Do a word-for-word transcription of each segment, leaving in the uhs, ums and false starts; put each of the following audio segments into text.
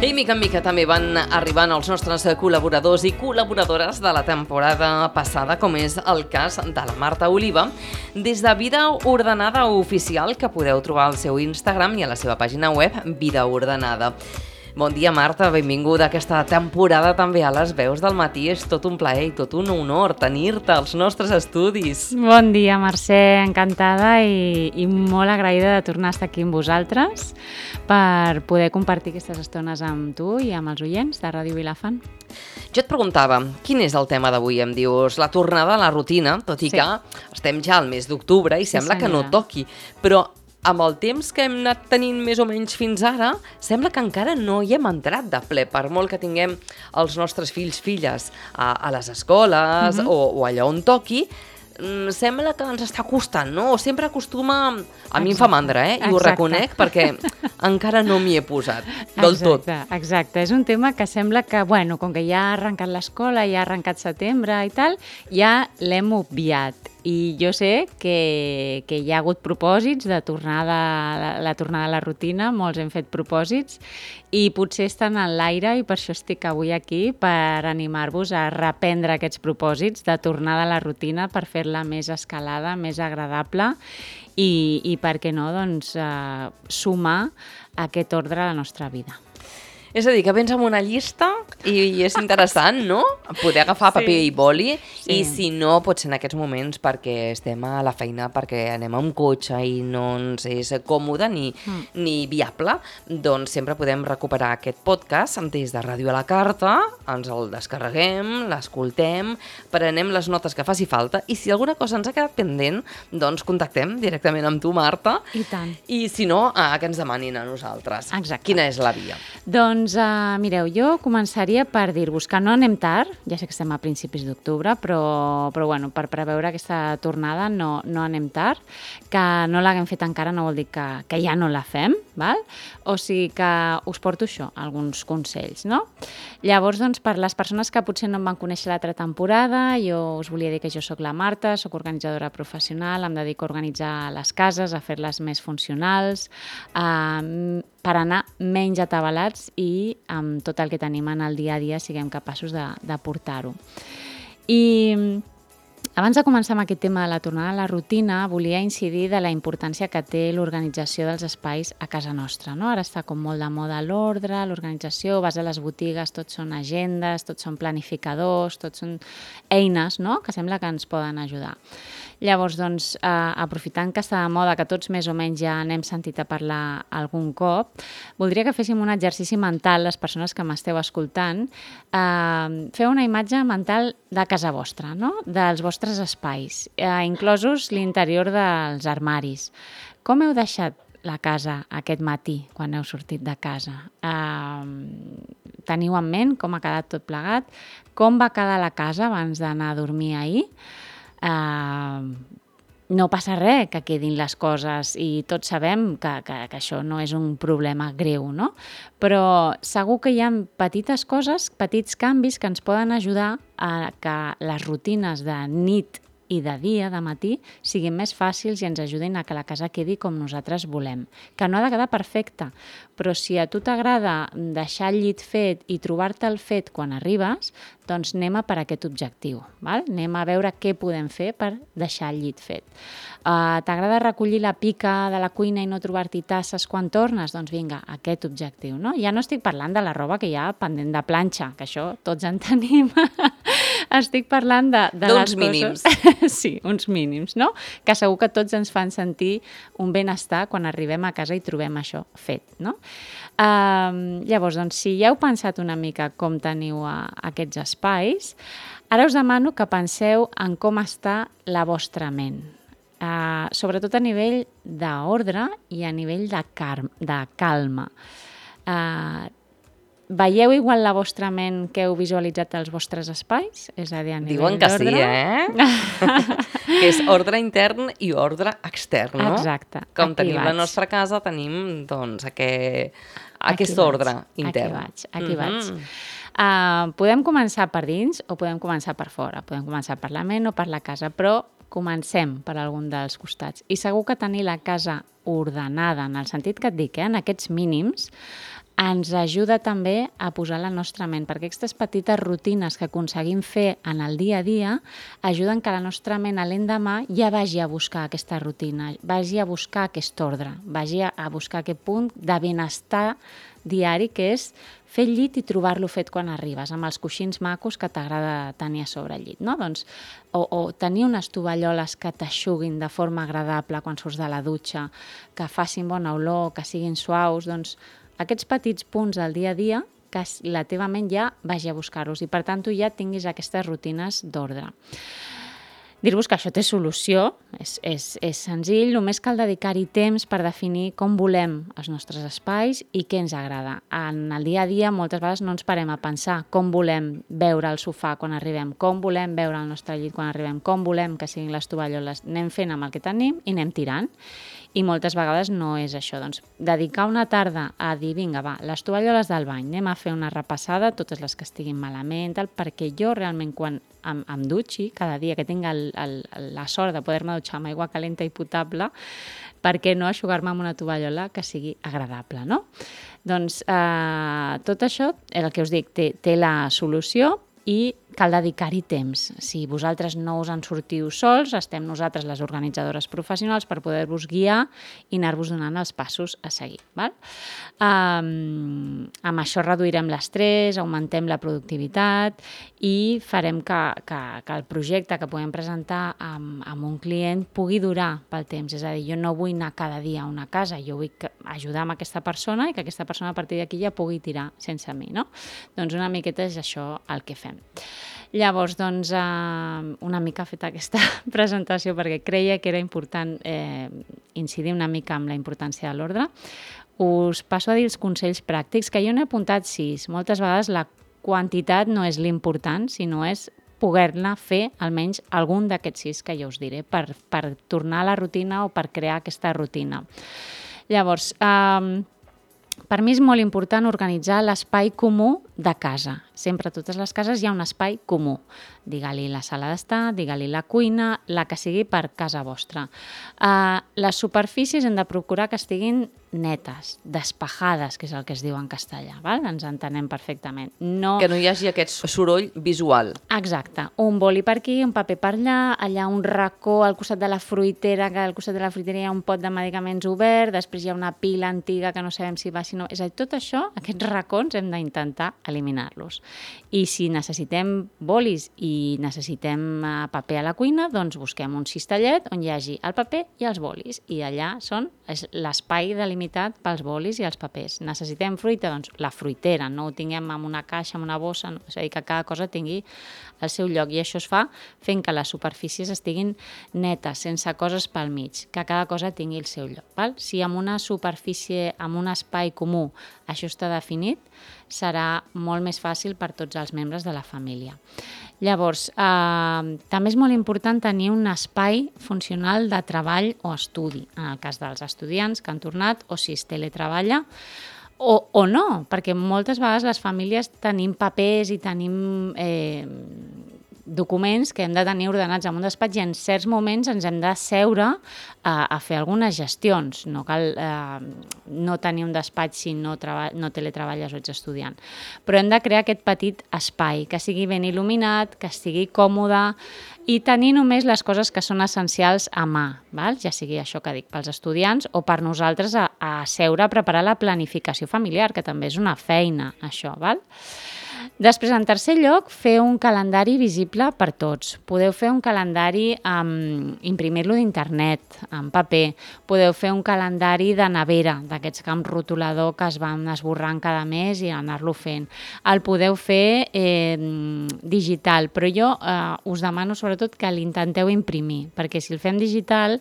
I mica en mica també van arribant els nostres col·laboradors i col·laboradores de la temporada passada, com és el cas de la Marta Oliva, des de Vida Ordenada Oficial, que podeu trobar al seu Instagram i a la seva pàgina web, Vida Ordenada. Bon dia, Marta, benvinguda a aquesta temporada també a Les Veus del Matí. És tot un plaer i tot un honor tenir-te als nostres estudis. Bon dia, Mercè, encantada i, i molt agraïda de tornar a estar aquí amb vosaltres per poder compartir aquestes estones amb tu i amb els oients de Ràdio Vilafant. Jo et preguntava, quin és el tema d'avui? Em dius, la tornada a la rutina, tot i sí. que estem ja al mes d'octubre i sembla sí, que no toqui, però amb el temps que hem anat tenint més o menys fins ara, sembla que encara no hi hem entrat de ple, per molt que tinguem els nostres fills, filles a, a les escoles mm-hmm. o, o allà on toqui, sembla que ens està costant, no? O sempre acostuma... A exacte. Mi em fa mandra, eh? I exacte. Ho reconec perquè encara no m'hi he posat del tot. Exacte, exacte. És un tema que sembla que, bueno, com que ja ha arrencat l'escola, ja ha arrencat setembre i tal, ja l'hem obviat. I jo sé que, que hi ha hagut propòsits de tornada, la, la tornada a la rutina, molts hem fet propòsits i potser estan en l'aire i per això estic avui aquí per animar-vos a reprendre aquests propòsits de tornada a la rutina per fer-la més escalada, més agradable i, i per què no, doncs, eh, sumar aquest ordre a la nostra vida. És a dir, que vens amb una llista i és interessant, no? Poder agafar paper sí. i boli sí. i si no, pot ser en aquests moments perquè estem a la feina, perquè anem amb cotxe i no ens és còmode ni, mm. ni viable, doncs sempre podem recuperar aquest podcast des de Ràdio a la Carta, ens el descarreguem, l'escoltem, prenem les notes que faci falta i si alguna cosa ens ha quedat pendent, doncs contactem directament amb tu, Marta. I tant. I si no, eh, que ens demanin a nosaltres. Exacte. Quina és la via? Doncs Doncs, uh, mireu, jo començaria per dir-vos que no anem tard, ja sé que estem a principis d'octubre, però, però bueno, per preveure aquesta tornada no, no anem tard, que no l'haguem fet encara no vol dir que, que ja no la fem, val? O sigui que us porto això, alguns consells, no? Llavors, doncs, per les persones que potser no em van conèixer l'altra temporada, jo us volia dir que jo sóc la Marta, sóc organitzadora professional, em dedico a organitzar les cases, a fer-les més funcionals, a per anar menys atabalats i amb tot el que tenim en el dia a dia siguem capaços de, de portar-ho. I abans de començar amb aquest tema de la tornada a la rutina, volia incidir de la importància que té l'organització dels espais a casa nostra. No? Ara està com molt de moda l'ordre, l'organització, vas a les botigues, tots són agendes, tots són planificadors, tots són eines, no? Que sembla que ens poden ajudar. Llavors, doncs, eh, aprofitant que està de moda, que tots més o menys ja n'hem sentit a parlar algun cop, voldria que féssim un exercici mental, les persones que m'esteu escoltant, eh, fer una imatge mental de casa vostra, no? Dels vostres espais, eh, inclosos l'interior dels armaris. Com heu deixat la casa aquest matí, quan heu sortit de casa? Eh, teniu en ment com ha quedat tot plegat? Com va quedar la casa abans d'anar a dormir ahir? Uh, no passa res que quedin les coses i tots sabem que, que, que això no és un problema greu, no? Però segur que hi ha petites coses, petits canvis que ens poden ajudar a que les rutines de nit i de dia, de matí, siguin més fàcils i ens ajudin a que la casa quedi com nosaltres volem. Que no ha de quedar perfecta, però si a tu t'agrada deixar el llit fet i trobar-te el fet quan arribes, doncs anem a per aquest objectiu. Val? Anem a veure què podem fer per deixar el llit fet. Uh, t'agrada recollir la pica de la cuina i no trobar-t'hi tasses quan tornes? Doncs vinga, aquest objectiu. No? Ja no estic parlant de la roba que hi ha pendent de planxa, que això tots en tenim. Estic parlant de, de les coses... mínims. Sí, uns mínims, no? Que segur que tots ens fan sentir un benestar quan arribem a casa i trobem això fet, no? Uh, llavors, doncs, si ja heu pensat una mica com teniu uh, aquests espais, ara us demano que penseu en com està la vostra ment. Uh, sobretot a nivell d'ordre i a nivell de, car- de calma. Uh, Veieu igual la vostra ment que heu visualitzat els vostres espais? És a dir, a nivell Diuen que d'ordre? sí, eh? Que és ordre intern i ordre extern, no? Exacte. Com aquí tenim vaig. la nostra casa, tenim, doncs, aquest, aquest ordre intern. Aquí vaig, aquí mm-hmm. vaig. Uh, podem començar per dins o podem començar per fora. Podem començar per la ment o per la casa, però comencem per algun dels costats. I segur que tenir la casa ordenada, en el sentit que et dic, eh, en aquests mínims, ens ajuda també a posar la nostra ment, perquè aquestes petites rutines que aconseguim fer en el dia a dia ajuden que la nostra ment a l'endemà ja vagi a buscar aquesta rutina, vagi a buscar aquest ordre, vagi a buscar aquest punt de benestar diari, que és fer el llit i trobar-lo fet quan arribes, amb els coixins macos que t'agrada tenir a sobre el llit, no? Doncs, o, o tenir unes tovalloles que t'aixuguin de forma agradable quan surts de la dutxa, que facin bona olor, que siguin suaus, doncs aquests petits punts del dia a dia que la teva ment ja vagi a buscar-los i per tant tu ja tinguis aquestes rutines d'ordre. Dir-vos que això té solució, és, és, és senzill, només cal dedicar-hi temps per definir com volem els nostres espais i què ens agrada. En el dia a dia moltes vegades no ens parem a pensar com volem veure el sofà quan arribem, com volem veure el nostre llit quan arribem, com volem que siguin les tovalloles. Anem fent amb el que tenim i anem tirant. I moltes vegades no és això. Doncs dedicar una tarda a dir, vinga, va, les tovalloles del bany, anem a fer una repassada, totes les que estiguin malament, tal, perquè jo realment quan em, em dutxi cada dia, que tinc el, el, la sort de poder-me dutxar amb aigua calenta i potable, per què no eixugar-me amb una tovallola que sigui agradable, no? Doncs eh, tot això, el que us dic, té, té la solució i cal dedicar-hi temps. Si vosaltres no us en sortiu sols, estem nosaltres, les organitzadores professionals, per poder-vos guiar i anar-vos donant els passos a seguir. Val? Um, amb això reduirem l'estrès, augmentem la productivitat i farem que, que, que el projecte que podem presentar amb, amb un client pugui durar pel temps. És a dir, jo no vull anar cada dia a una casa, jo vull ajudar amb aquesta persona i que aquesta persona a partir d'aquí ja pugui tirar sense mi, no? Doncs una miqueta és això el que fem. Llavors, doncs, eh, una mica feta aquesta presentació perquè creia que era important eh, incidir una mica amb la importància de l'ordre. Us passo a dir els consells pràctics, que jo n'he apuntat sis. Moltes vegades la quantitat no és l'important, sinó és poder-ne fer almenys algun d'aquests sis que jo us diré per, per tornar a la rutina o per crear aquesta rutina. Llavors, eh, per mi és molt important organitzar l'espai comú de casa. Sempre a totes les cases hi ha un espai comú. Digue-li la sala d'estar, digue-li la cuina, la que sigui per casa vostra. Uh, les superfícies hem de procurar que estiguin netes, despejades, que és el que es diu en castellà, val? Ens entenem perfectament. No... Que no hi hagi aquest soroll visual. Exacte. Un boli per aquí, un paper per allà, allà un racó al costat de la fruitera, que al costat de la fruitera hi ha un pot de medicaments obert, després hi ha una pila antiga que no sabem si va, si no... És a dir, tot això, aquests racons, hem d'intentar eliminar-los. I si necessitem bolis i necessitem paper a la cuina, doncs busquem un cistellet on hi hagi el paper i els bolis. I allà són l'espai delimitat pels bolis i els papers. Necessitem fruita? Doncs la fruitera, no ho tinguem en una caixa, en una bossa, no? És a dir, que cada cosa tingui el seu lloc. I això es fa fent que les superfícies estiguin netes, sense coses pel mig, que cada cosa tingui el seu lloc. Val? Si amb una superfície, amb un espai comú, això està definit, serà molt més fàcil per tots els membres de la família. Llavors, eh, també és molt important tenir un espai funcional de treball o estudi, en el cas dels estudiants que han tornat, o si es teletreballa, o, o no, perquè moltes vegades les famílies tenim papers i tenim eh, documents que hem de tenir ordenats en un despatx i en certs moments ens hem de seure a, a fer algunes gestions. No cal eh, no tenir un despatx si no, treba, no teletreballes o ets estudiant. Però hem de crear aquest petit espai, que sigui ben il·luminat, que estigui còmode i tenir només les coses que són essencials a mà, val? Ja sigui això que dic pels estudiants o per nosaltres a, a seure a preparar la planificació familiar, que també és una feina, això, val? Després, en tercer lloc, fer un calendari visible per tots. Podeu fer un calendari, um, imprimir-lo d'internet, en paper. Podeu fer un calendari de nevera, d'aquests que amb rotulador que es van esborrant cada mes i anar-lo fent. El podeu fer eh, digital, però jo eh, us demano sobretot que l'intenteu imprimir, perquè si el fem digital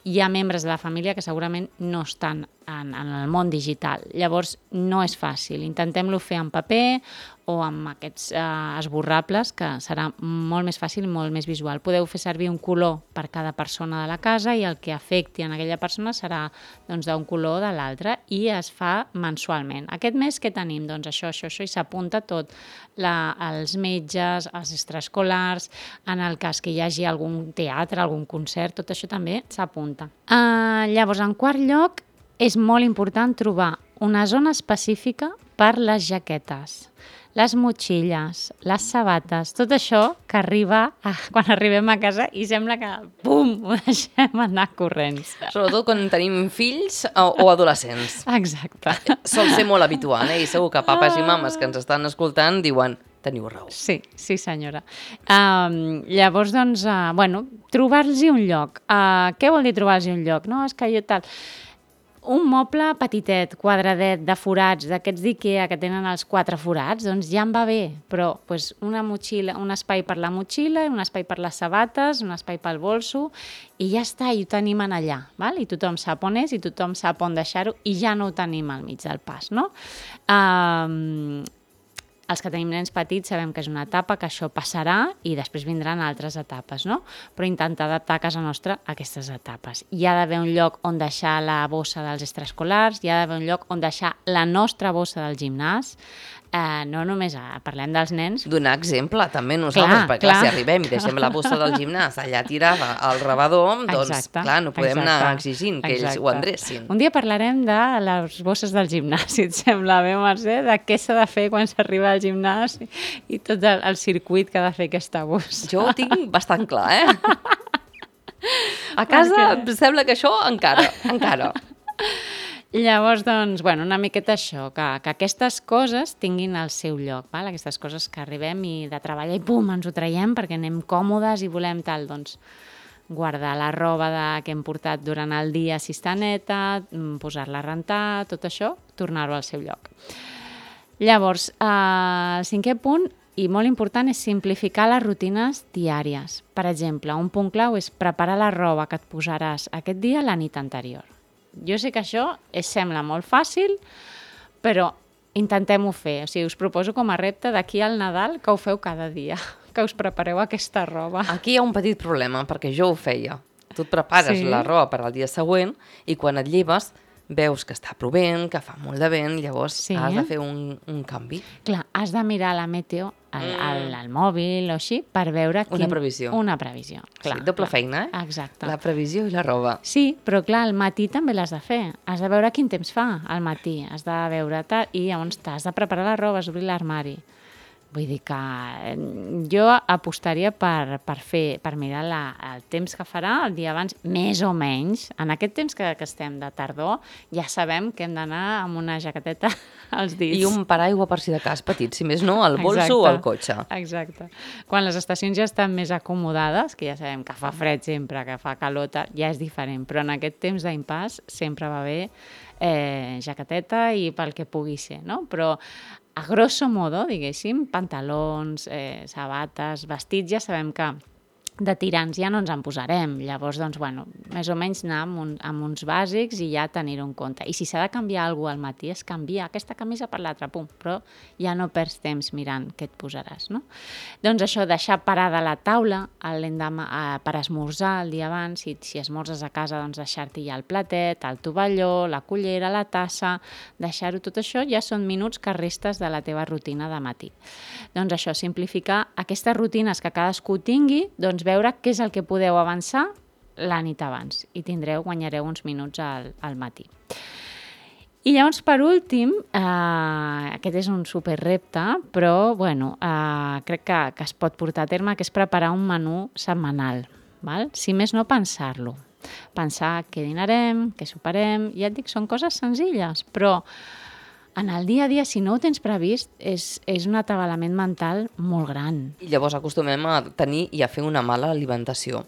hi ha membres de la família que segurament no estan en, en el món digital. Llavors, no és fàcil. Intentem-lo fer en paper o amb aquests eh, esborrables, que serà molt més fàcil i molt més visual. Podeu fer servir un color per cada persona de la casa i el que afecti en aquella persona serà doncs, d'un color o de l'altre i es fa mensualment. Aquest mes què tenim? Doncs això, això, això, i s'apunta tot. La, els metges, els extraescolars, en el cas que hi hagi algun teatre, algun concert, tot això també s'apunta. Uh, llavors, en quart lloc, és molt important trobar una zona específica per les jaquetes, les motxilles, les sabates, tot això que arriba a, quan arribem a casa i sembla que, pum, ho deixem anar corrents. Sobretot quan tenim fills o, o adolescents. Exacte. Sol ser molt habitual, eh? I segur que papes i mames que ens estan escoltant diuen teniu raó. Sí, sí senyora. Um, llavors, doncs, uh, bueno, trobar-los un lloc. Uh, què vol dir trobar-los un lloc? No, és que jo tal... Un moble petitet, quadradet, de forats, d'aquests d'Ikea que tenen els quatre forats, doncs ja em va bé, però pues, una motxilla, un espai per la motxilla, un espai per les sabates, un espai pel bolso, i ja està, i ho tenim en allà, val? I tothom sap on és, i tothom sap on deixar-ho, i ja no ho tenim al mig del pas, no? Um, els que tenim nens petits sabem que és una etapa, que això passarà i després vindran altres etapes, no? Però intentar adaptar a casa nostra a aquestes etapes. Hi ha d'haver un lloc on deixar la bossa dels extraescolars, hi ha d'haver un lloc on deixar la nostra bossa del gimnàs, eh, no només a, parlem dels nens. Donar exemple, també nosaltres, clar, perquè clar. clar, si arribem i deixem la bossa del gimnàs allà tirada al rebedor, doncs Exacte, clar, no podem exacte, anar exigint que exacte. ells ho endrecin. Un dia parlarem de les bosses del gimnàs, si et sembla bé, Mercè, de què s'ha de fer quan s'arriba al gimnàs i, i tot el, el circuit que ha de fer aquesta bossa. Jo ho tinc bastant clar, eh? A casa em sembla que això encara, encara. Llavors, doncs, bueno, una miqueta això, que, que aquestes coses tinguin el seu lloc, val? Aquestes coses que arribem i de treballar i pum, ens ho traiem perquè anem còmodes i volem tal, doncs, guardar la roba de, que hem portat durant el dia si està neta, posar-la a rentar, tot això, tornar-ho al seu lloc. Llavors, eh, el cinquè punt, i molt important, és simplificar les rutines diàries. Per exemple, un punt clau és preparar la roba que et posaràs aquest dia la nit anterior. Jo sé que això es sembla molt fàcil, però intentem-ho fer. O sigui, us proposo com a repte d'aquí al Nadal que ho feu cada dia, que us prepareu aquesta roba. Aquí hi ha un petit problema, perquè jo ho feia. Tu et prepares Sí. la roba per al dia següent i quan et lleves veus que està plovent, que fa molt de vent, llavors Sí. has de fer un, un canvi. Clar, has de mirar la meteo al, al, al mòbil o així per veure... Una previsió. Una previsió, clar. Sí, doble clar. feina, eh? Exacte. La previsió i la roba. Sí, però clar, al matí també l'has de fer. Has de veure quin temps fa al matí. Has de veure tal, i llavors t'has de preparar la roba, has d'obrir l'armari. Vull dir que eh, jo apostaria per, per, fer, per mirar la, el temps que farà el dia abans, més o menys. En aquest temps que, que estem de tardor, ja sabem que hem d'anar amb una jaqueteta als dits. I un paraigua per si de cas petit, si més no, al bolso Exacte. o al cotxe. Exacte. Quan les estacions ja estan més acomodades, que ja sabem que fa fred sempre, que fa calor, ja és diferent, però en aquest temps d'impàs sempre va bé eh, jaqueteta i pel que pugui ser, no? Però a grosso modo, diguéssim, pantalons, eh, sabates, vestits, ja sabem que de tirants ja no ens en posarem. Llavors, doncs, bueno, més o menys anar amb, un, amb uns bàsics i ja tenir-ho en compte. I si s'ha de canviar alguna cosa al matí, es canvia aquesta camisa per l'altra, pum, però ja no perds temps mirant què et posaràs, no? Doncs això, deixar parada la taula l'endemà eh, per esmorzar el dia abans, si, si esmorzes a casa, doncs deixar-t'hi ja el platet, el tovalló, la cullera, la tassa, deixar-ho tot això, ja són minuts que restes de la teva rutina de matí. Doncs això, simplificar aquestes rutines que cadascú tingui, doncs veure què és el que podeu avançar la nit abans i tindreu, guanyareu uns minuts al, al matí. I llavors, per últim, eh, aquest és un superrepte, però bueno, eh, crec que, que es pot portar a terme, que és preparar un menú setmanal. Val? Si més no, pensar-lo. Pensar què dinarem, què soparem, ja et dic, són coses senzilles, però en el dia a dia, si no ho tens previst, és, és un atabalament mental molt gran. I llavors acostumem a tenir i a fer una mala alimentació.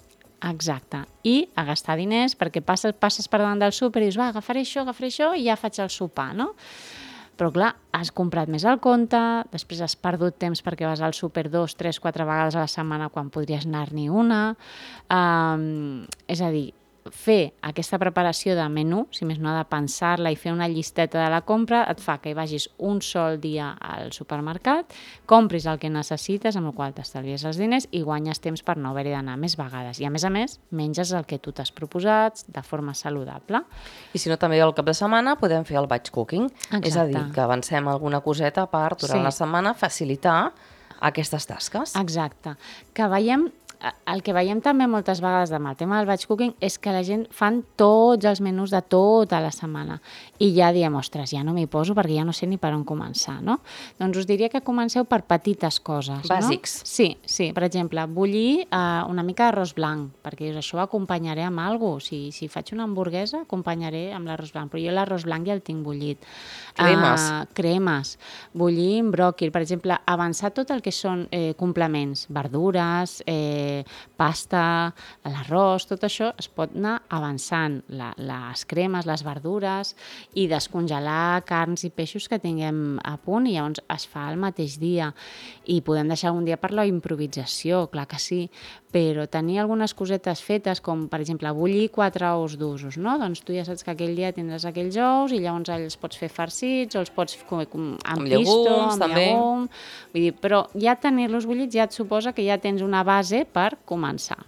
Exacte. I a gastar diners perquè passes, passes per davant del súper i dius, va, agafaré això, agafaré això i ja faig el sopar, no? Però clar, has comprat més al compte, després has perdut temps perquè vas al súper dos, tres, quatre vegades a la setmana quan podries anar-n'hi una. Um, és a dir, fer aquesta preparació de menú, si més no ha de pensar-la i fer una llisteta de la compra, et fa que hi vagis un sol dia al supermercat, compris el que necessites, amb el qual t'estalvies els diners i guanyes temps per no haver-hi d'anar més vegades. I a més a més, menges el que tu t'has proposat de forma saludable. I si no, també al cap de setmana podem fer el batch cooking. Exacte. És a dir, que avancem alguna coseta per, durant Sí. la setmana, facilitar aquestes tasques. Exacte. Que veiem el que veiem també moltes vegades amb el tema del batch cooking és que la gent fan tots els menús de tota la setmana i ja diem, ostres, ja no m'hi poso perquè ja no sé ni per on començar, no? Doncs us diria que comenceu per petites coses, bàsics. No? Sí, sí. Per exemple, bullir uh, una mica d'arròs blanc, perquè això ho acompanyaré amb alguna cosa. Si, si faig una hamburguesa, acompanyaré amb l'arròs blanc, però jo l'arròs blanc ja el tinc bullit. Cremes. Uh, cremes. Bullir amb bròquil. Per exemple, avançar tot el que són eh, complements, verdures, eh, pasta, l'arròs, tot això es pot anar avançant. La, les cremes, les verdures i descongelar carns i peixos que tinguem a punt i llavors es fa el mateix dia. I podem deixar un dia per la improvisació, clar que sí, però tenir algunes cosetes fetes, com per exemple bullir quatre ous d'usos, no? Doncs tu ja saps que aquell dia tindràs aquells ous i llavors els pots fer farcits o els pots fer com, com, amb, amb pisto, llegums, amb també. llegum. Vull dir, però ja tenir-los bullits ja et suposa que ja tens una base per començar.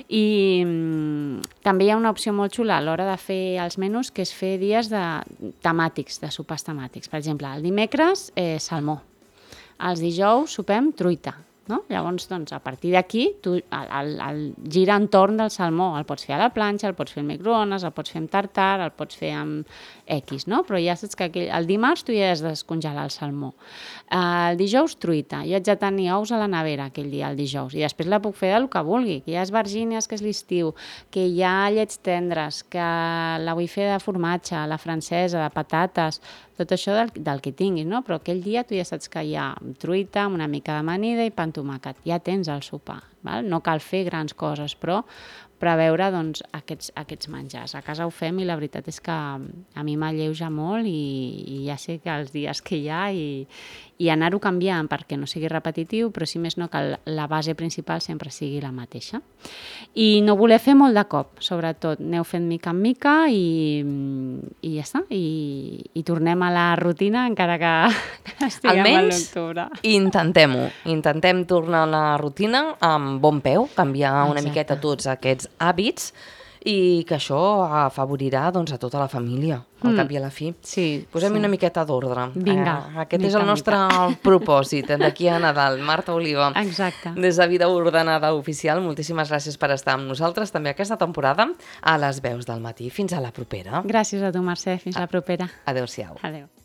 I mm, també hi ha una opció molt xula a l'hora de fer els menús, que és fer dies de temàtics, de sopars temàtics. Per exemple, el dimecres, eh, salmó. Els dijous sopem truita. No? Llavors, doncs, a partir d'aquí, tu el, el, el gira entorn del salmó. El pots fer a la planxa, el pots fer al microones, el pots fer amb tartar, el pots fer amb X, no? Però ja saps que aquell, el dimarts tu ja has de descongelar el salmó. El dijous, truita. Jo haig de tenir ous a la nevera aquell dia, el dijous. I després la puc fer del que vulgui. Que hi ha esbargínies, que és l'estiu, que hi ha llets tendres, que la vull fer de formatge, la francesa, de patates, tot això del, del que tinguis, no? Però aquell dia tu ja saps que hi ha truita, amb una mica d'amanida i pa amb tomàquet. Ja tens el sopar, val? No cal fer grans coses, però preveure doncs, aquests, aquests menjars. A casa ho fem i la veritat és que a mi m'alleuja molt i, i ja sé que els dies que hi ha i, i anar-ho canviant perquè no sigui repetitiu, però si més no que la base principal sempre sigui la mateixa. I no voler fer molt de cop, sobretot. Aneu fent mica en mica i, i ja està. I, i tornem a la rutina encara que, que estiguem Almenys, a l'octubre. intentem-ho. Intentem tornar a la rutina amb bon peu, canviar una Exacte. miqueta tots aquests hàbits i que això afavorirà doncs, a tota la família, al Mm. cap i a la fi. Sí, Posem sí. una miqueta d'ordre. Vinga, Eh, aquest mica és el en nostre propòsit d'aquí a Nadal. Marta Oliva, Exacte. des de Vida Ordenada Oficial, moltíssimes gràcies per estar amb nosaltres també aquesta temporada a les veus del matí. Fins a la propera. Gràcies a tu, Mercè. Fins la propera. Adéu-siau. Adéu.